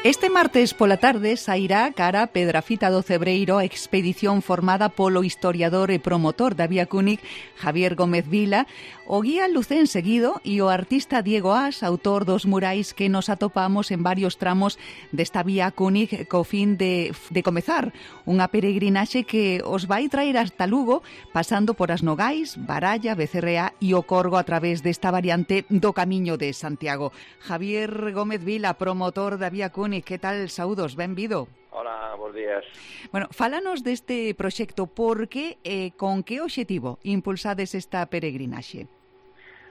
Este martes pola tarde sairá cara Pedrafita do Cebreiro a expedición formada polo historiador e promotor da Vía Cúnic Javier Gómez Vila, o guía Lucén Seguido e o artista Diego As, autor dos murais que nos atopamos en varios tramos desta Vía Cúnic co fin de comezar unha peregrinaxe que os vai traer hasta Lugo, pasando por as Nogais, Baralla, Becerrea e o Corgo a través desta variante do Camiño de Santiago. Javier Gómez Vila, promotor da Vía Cúnic, que tal? Saúdos, benvido. Hola, bons días. Bueno, fálanos deste proxecto, por que e con que obxectivo impulsades esta peregrinaxe?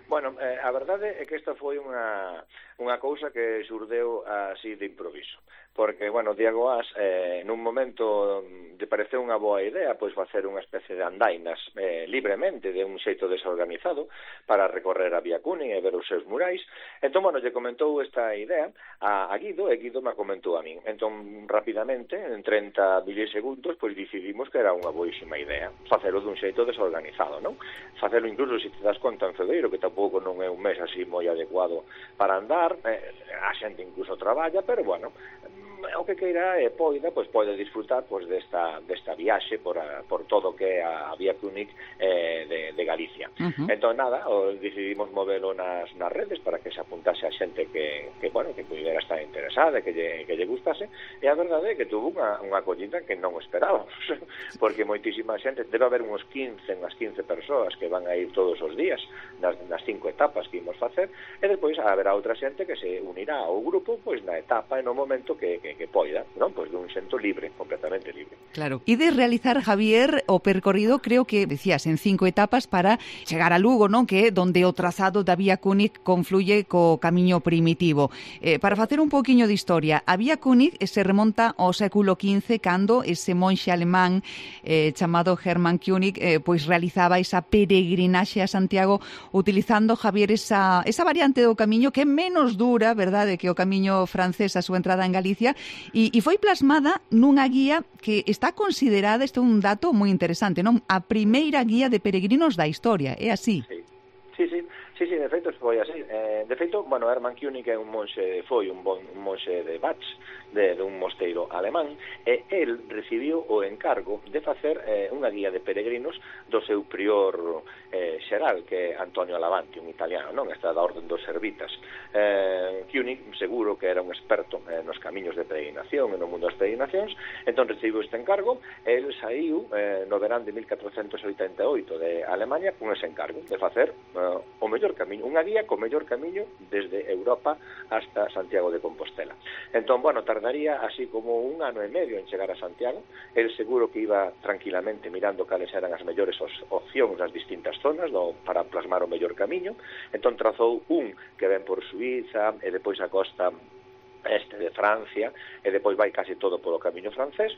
Bueno, a verdade é que esta foi unha cousa que xurdeu así de improviso. Porque, bueno, Diego As, nun momento lle pareceu unha boa idea pois facer unha especie de andainas libremente, de un xeito desorganizado, para recorrer a Vía Cúnic e ver os seus murais. Entón, bueno, lle comentou esta idea a Guido, e Guido me comentou a min. Entón, rapidamente, en 30 milisegundos, pois decidimos que era unha boísima idea facelo dun xeito desorganizado, non? Facelo incluso, se te das conta, en febreiro, que tampouco non é un mes así moi adecuado para andar, a xente incluso traballa, pero, bueno, o que queira e poida, pois pode disfrutar pois desta viaxe por todo o que é a Vía Cúnic de Galicia. Entón, nada, decidimos movelo nas redes para que se apuntase a xente que pudiera estar interesada, que lle gustase, e a verdade é que tuvo unha acollida que non esperábamos, porque moitísima xente, debe haber unhas 15 persoas que van a ir todos os días nas 5 etapas que imos facer, e depois haberá outra xente que se unirá ao grupo pois na etapa e no momento que poida, non? Pois dun xento libre, completamente libre. Claro. E de realizar, Javier, o percorrido, creo que decías, en 5 etapas para chegar a Lugo, non? Que é donde o trazado da Vía Cúnic confluye co camiño primitivo. Para facer un poquinho de historia, a Vía Cúnic se remonta ao século XV, cando ese monxe alemán chamado Hermann König pois realizaba esa peregrinaxe a Santiago utilizando, Javier, esa variante do camiño que é menos dura, verdade, que o camiño francés a súa entrada en Galicia, e foi plasmada nunha guía que está considerada, este é un dato moi interesante, non? A primeira guía de peregrinos da historia, é así? Sí, de feito foi así. De feito, bueno, Hermann König é un monxe, foi un monxe de Bach, de un mosteiro alemán, e el recibiu o encargo de facer unha guía de peregrinos do seu prior xeral, que é Antonio Alavanti, un italiano, non? Está da orden dos servitas. König seguro que era un experto nos camiños de peregrinación e no mundo das peregrinacións, entón recibiu este encargo, e el saiu no verán de 1488 de Alemania con ese encargo de facer o mellor camiño, unha guía co mellor camiño desde Europa hasta Santiago de Compostela. Entón, bueno, tardaría así como 1 ano e medio en chegar a Santiago. El seguro que iba tranquilamente mirando cales eran as mellores opcións das distintas zonas para plasmar o mellor camiño. Entón trazou un que ven por Suiza e depois a costa este de Francia e depois vai casi todo polo camiño francés,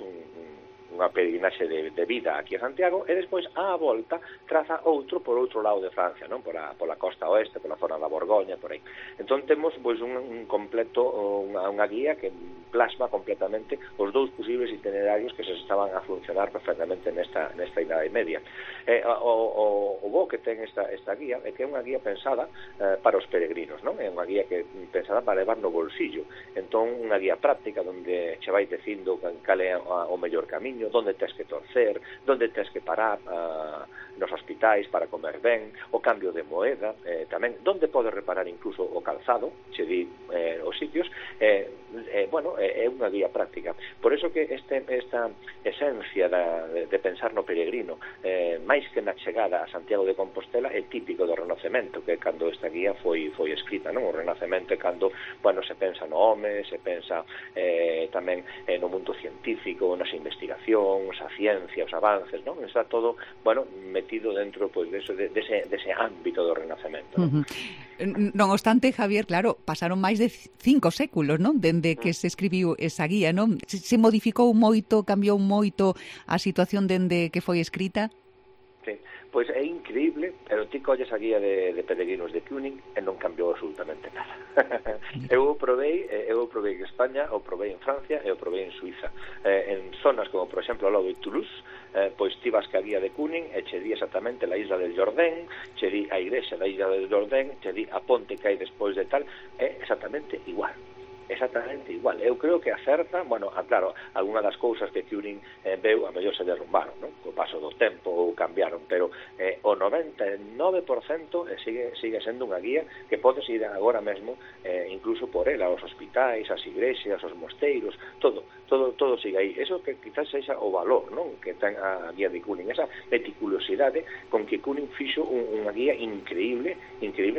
unha peregrinaxe de vida aquí a Santiago, e despois á volta traza outro por outro lado de Francia, non? Pola costa oeste, pola zona da Borgoña, por aí. Entón temos pois un completo, unha guía que plasma completamente os dous posibles itinerarios que se estaban a funcionar perfectamente nesta Idade Media. O bo que ten esta guía é que é unha guía pensada para os peregrinos, non? É unha guía que pensada para levar no bolsillo. Entón, unha guía práctica onde che vai dicindo cal é o mellor camiño, onde tens que torcer, onde tens que parar nos hospitais para comer ben, o cambio de moeda, tamén onde podes reparar incluso o calzado, che di os sitios, bueno, é unha guía práctica. Por eso que esta esencia de pensar no peregrino, máis que na chegada a Santiago de Compostela, é típico do Renacemento, que cando esta guía foi escrita, non? O Renacemento é cando, bueno, se pensa no home, se pensa tamén no mundo científico, nas investigacións, a ciencia, os avances, non? Está todo, bueno, metido dentro pois dese ámbito do Renacemento, non? Non obstante, Javier, claro, pasaron máis de 5 séculos, non? Dende que se escribiu esa guía, non? Se modificou moito, cambiou moito a situación dende que foi escrita? Sí, pois é increíble, pero ti colles a guía de peregrinos de König e non cambiou absolutamente nada. Eu o provei en España, o provei en Francia e o provei en Suiza. En zonas como, por exemplo, ao lado de Toulouse, pois ti vas ca guía de König e che di exactamente la isla del Jordán, che di a igrexa da isla del Jordán, che di a ponte que hai despois de tal, é exactamente igual. exactamente igual. Eu creo que acerta, bueno, claro, algunha das cousas que Cuning veu, a mellor se derrumbaron, non? Co paso do tempo ou cambiaron, pero o 99% sigue sendo unha guía que podes ir agora mesmo incluso por ela, aos hospitais, as igrexas, aos mosteiros, todo sigue aí. Eso que quizás sexa o valor, non? Que ten a guía de Cuning, esa meticulosidade con que Cuning fixo unha guía increíble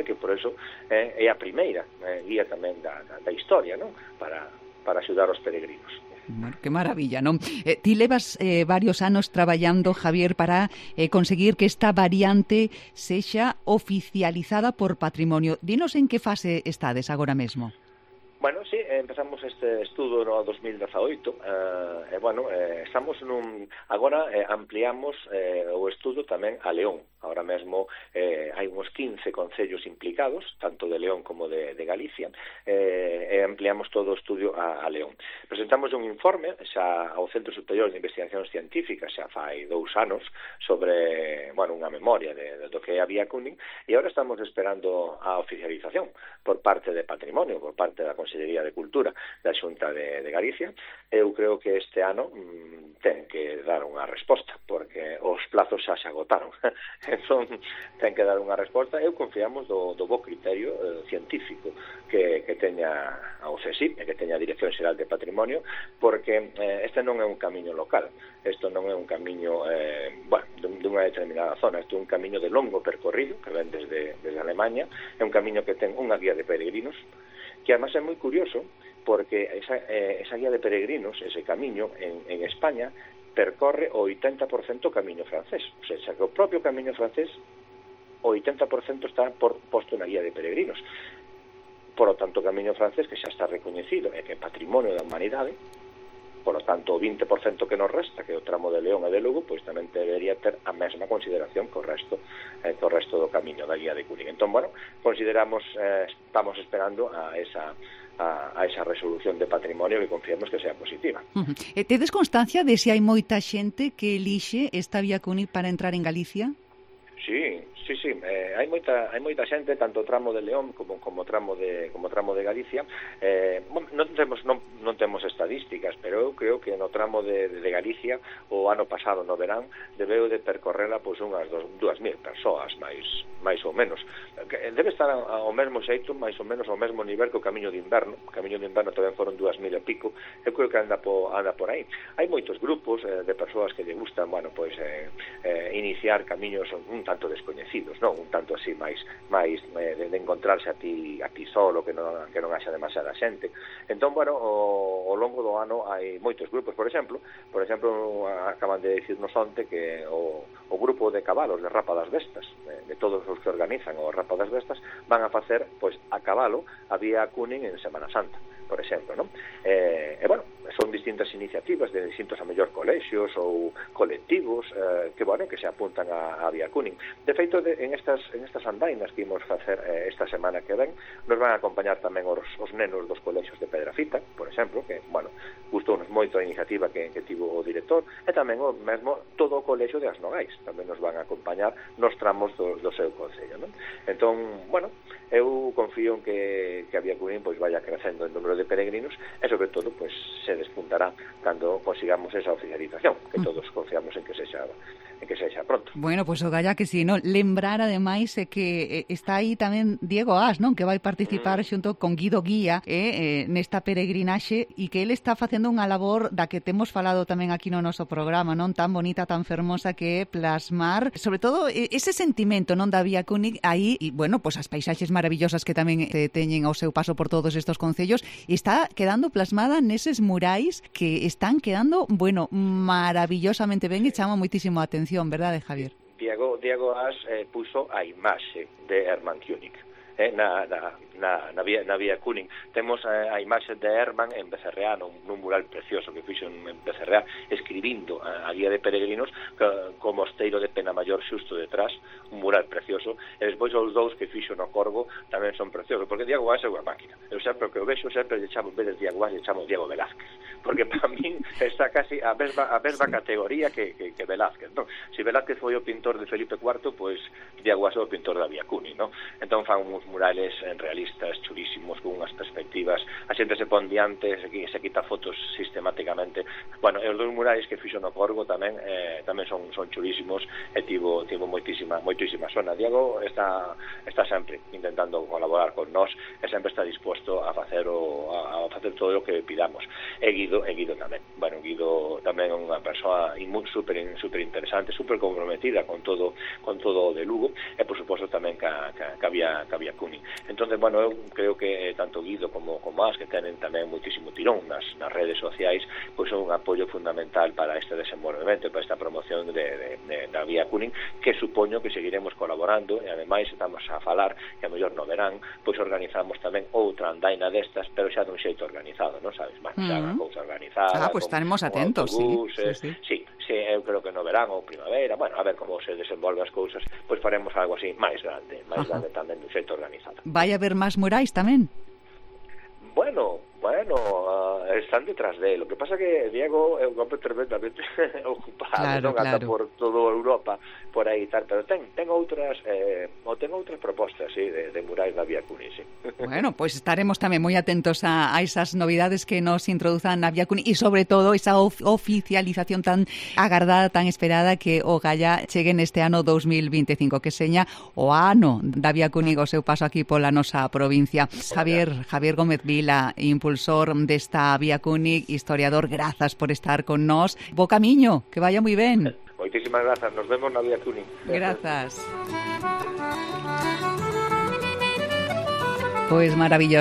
que por eso é a primeira guía tamén da historia, non? Para axudar os peregrinos. Bueno, que maravilla, non? Ti levas varios anos traballando, Javier, para conseguir que esta variante sexa oficializada por Patrimonio. Dinos en que fase estades agora mesmo. Bueno, sí, empezamos este estudo no 2018 estamos agora ampliamos o estudo tamén a León. Ahora mesmo hai uns 15 concellos implicados, tanto de León como de Galicia, e ampliamos todo o estudio a León. Presentamos un informe xa ao Centro Superior de Investigacións Científicas xa fai 2 anos sobre, unha memoria do que había Cuning, e agora estamos esperando a oficialización por parte de Patrimonio, por parte da Consellería de Cultura da Xunta de Galicia. Eu creo que este ano ten que dar unha resposta, porque os plazos xa se agotaron. Entón, ten que dar unha resposta. Eu confiamos do bo criterio científico que teña a OCSI e que teña a Dirección Xeral de Patrimonio, porque este non é un camiño local, isto non é un camiño dunha determinada zona, isto é un camiño de longo percorrido que ven desde Alemanha, é un camiño que ten unha guía de peregrinos, que además é moi curioso porque esa guía de peregrinos, ese camiño en España, percorre o 80% camiño francés. O sea, que o propio camiño francés, o 80% está posto na guía de peregrinos. Por lo tanto, o camiño francés, que xa está recoñecido e que é patrimonio da humanidade, por lo tanto, o 20% que nos resta, que é o tramo de León e de Lugo, pois tamén debería ter a mesma consideración co resto do camiño da guía de Cuning. Entón, consideramos, estamos esperando a esa resolución de patrimonio que confiamos que sea positiva. Tedes constancia de se hai moita xente que elixe esta vía Cuning para entrar en Galicia? Sí. Hai moita xente, tanto tramo de León como tramo de Galicia. Non temos estadísticas, pero eu creo que no tramo de Galicia o ano pasado no verán debeu de percorrerla unhas 2.000 persoas, máis ou menos. Debe estar ao mesmo xeito, máis ou menos ao mesmo nivel que o camiño de inverno. O camiño de inverno tamén foron 2.000 e pico. Eu creo que anda por aí. Hai moitos grupos de persoas que lle gustan, iniciar camiños un tanto descoñecidos, non? Un tanto así máis de encontrarse a ti solo, que non haxa demasiada xente. Entón, ao longo do ano hai moitos grupos. Por exemplo, acaban de dicirnos onte que o grupo de cabalos de Rapa das Vestas, de todos os que organizan o Rapa das Vestas, van a facer a cabalo a vía Cuning en Semana Santa, por exemplo, non? Son distintas iniciativas de distintos a mellor colexios ou colectivos que se apuntan a vía Cuning. De feito, en estas andainas que imos facer esta semana que ven, nos van a acompañar tamén os nenos dos colexios de Pedrafita, por exemplo, que, gustounos moito a iniciativa que tivo o director, e tamén o mesmo todo o colexio de As Nogais tamén nos van a acompañar nos tramos do seu concello, non? Entón, eu confío en que a vía Cuning vaya crecendo en número de peregrinos e, sobre todo, se despuntará cando consigamos esa oficialización, que todos confiamos en que sexa pronto. Bueno, o galla que si, non? Lembrar, ademais, que está aí tamén Diego As, non? Que vai participar xunto con Guido Guía nesta peregrinaxe, e que ele está facendo unha labor da que temos falado tamén aquí no noso programa, non? Tan bonita, tan fermosa, que é plasmar, sobre todo, ese sentimento, non, da vía Cuning aí, e, as paisaxes maravillosas que tamén teñen ao seu paso por todos estos concellos, e está quedando plasmada neses murais que están quedando, maravillosamente ben, e chama moitísimo a atención, verdade, Javier? Diego As puso a imaxe de Hermann König na vía Cuning. Temos a imaxe de Hermann en Becerreá, nun mural precioso que fixo en Becerreá, escribindo a guía de peregrinos co mosteiro de Penamayor xusto detrás, un mural precioso, e despois os dous que fixo no Corgo tamén son preciosos, porque Diego As é unha máquina. Eu sempre que o vexo, sempre lle chamo, en vez de Diego As, lle chamo Diego Velázquez, porque para min está casi a mesma categoría que Velázquez, non? Se Velázquez foi o pintor de Felipe IV, Diego As é o pintor da vía Cuning, non? Entón fan uns murales realistas, chulísimos, con unhas perspectivas, a xente se pon diante, se quita fotos sistemáticamente. Bueno, e os dos murales que fixo no Corgo tamén son chulísimos, e tivo moitísima sona. Diego está sempre intentando colaborar con nós, e sempre está disposto a facer todo o que pidamos. E Guido tamén. Bueno, Guido tamén é unha persoa super interesante, super comprometida con todo o de Lugo, e por suposto tamén ca Vía Cuni. Entonces, bueno, eu creo que tanto Guido como As, que tenen tamén moitísimo tirón nas redes sociais, pois son un apoio fundamental para este desenvolvemento, para esta promoción da Vía Cuni, que supoño que seguiremos colaborando, e ademais estamos a falar que a mellor no verán, pois organizamos tamén outra andaina destas, pero xa dun xeito organizado, non sabes? Bueno, xa unha cousa organizada. Pois estaremos atentos, sí, eu creo que no verán ou primavera, bueno, a ver como se desenvolve as cousas, pois faremos algo así máis grande tamén dun xeito organizado. Vai haber máis murais tamén? Bueno, están detrás de él. Lo que pasa que Diego é un hombre tremendamente ocupado, anda por toda Europa, por aí tal, pero ten outras propostas, sí, de murais da Vía Cuni, sí. Bueno, pues estaremos tamén moi atentos a esas novidades que nos introduzan na Vía Cuni, e sobre todo esa oficialización tan agardada, tan esperada, que o Galla chegue neste ano 2025, que seña o ano da Vía Cuni o seu paso aquí pola nosa provincia. Javier Gómez Vila, impulsor desta Vía Cuni, historiador, grazas por estar con nós. Bo camiño, que vaya moi ben. Moitísimas grazas, nos vemos na Vía Cuni. Grazas. Pois maravilloso.